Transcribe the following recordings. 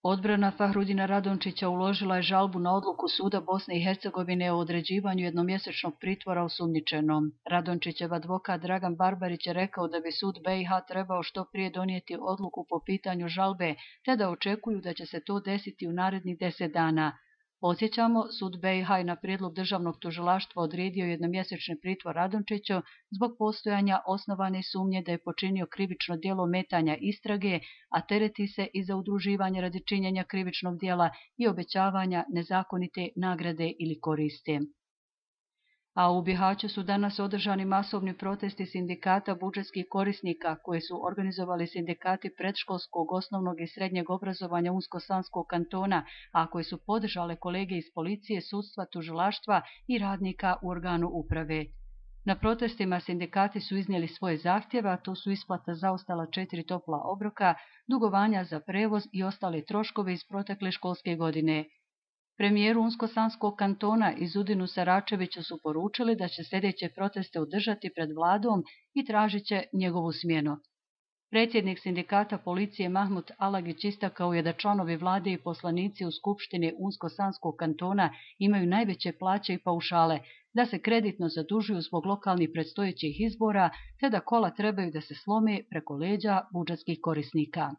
Odbrana Fahrudina Radončića uložila je žalbu na odluku Suda Bosne i Hercegovine o određivanju jednomjesečnog pritvora osumnjičenom. Radončićev advokat Dragan Barbarić je rekao da bi sud BiH trebao što prije donijeti odluku po pitanju žalbe, te da očekuju da će se to desiti u narednih 10 dana. Podsjećamo, sud BiH je na prijedlog državnog tužilaštva odredio jednomjesečni pritvor Radončiću zbog postojanja osnovane sumnje da je počinio krivično djelo ometanja istrage, a tereti se i za udruživanje radi činjenja krivičnog djela i obećavanja nezakonite nagrade ili koristi. A u Bihaću su danas održani masovni protesti sindikata budžetskih korisnika koje su organizovali sindikati predškolskog, osnovnog i srednjeg obrazovanja Unsko-Sanskog kantona, a koje su podržale kolege iz policije, sudstva, tužilaštva i radnika u organu uprave. Na protestima sindikati su iznijeli svoje zahtjeve, a to su isplata zaostala 4 topla obroka, dugovanja za prevoz i ostale troškove iz protekle školske godine. Premijeru Unsko-Sanskog kantona Izudinu Saračeviću su poručili da će sljedeće proteste održati pred vladom i tražit će njegovu smjenu. Predsjednik sindikata policije Mahmud Alagić istakao je da članovi vlade i poslanici u Skupštini Unsko-Sanskog kantona imaju najveće plaće i paušale, da se kreditno zadužuju zbog lokalnih predstojećih izbora, te da kola trebaju da se slome preko leđa budžetskih korisnika.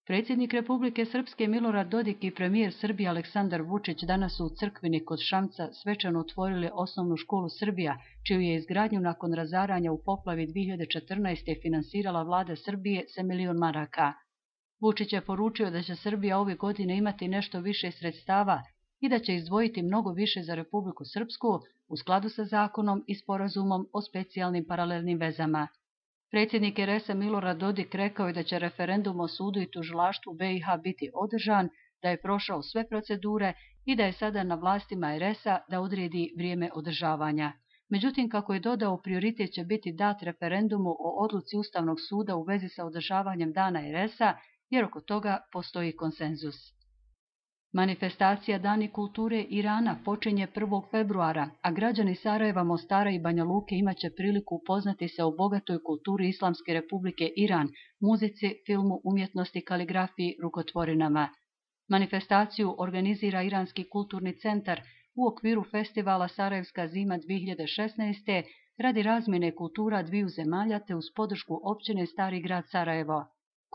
Predsjednik Republike Srpske Milorad Dodik i premijer Srbije Aleksandar Vučić danas su u Crkvini kod Šamca svečano otvorili osnovnu školu Srbija, čiju je izgradnju nakon razaranja u poplavi 2014. finansirala vlada Srbije sa $1 milion. Vučić je poručio da će Srbija ove godine imati nešto više sredstava i da će izdvojiti mnogo više za Republiku Srpsku u skladu sa zakonom i sporazumom o specijalnim paralelnim vezama. Predsjednik RS Milorad Dodik rekao je da će referendum o sudu i tužilaštvu BiH biti održan, da je prošao sve procedure i da je sada na vlastima RS-a da odredi vrijeme održavanja. Međutim, kako je dodao, prioritet će biti dat referendumu o odluci Ustavnog suda u vezi sa održavanjem dana RS-a, jer oko toga postoji konsenzus. Manifestacija Dani kulture Irana počinje 1. februara, a građani Sarajeva, Mostara i Banja Luke imaće priliku upoznati se o bogatoj kulturi Islamske republike Iran, muzici, filmu, umjetnosti, kaligrafiji, rukotvorinama. Manifestaciju organizira Iranski kulturni centar u okviru festivala Sarajevska zima 2016. radi razmjene kultura dviju zemalja te uz podršku općine Stari grad Sarajevo.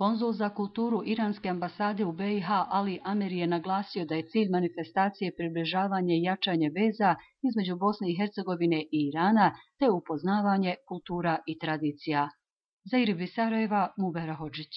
Konzul za kulturu Iranske ambasade u BiH Ali Ameri je naglasio da je cilj manifestacije približavanje i jačanje veza između Bosne i Hercegovine i Irana te upoznavanje kultura i tradicija. Za IRIB iz Sarajeva, Mubera Hodžić.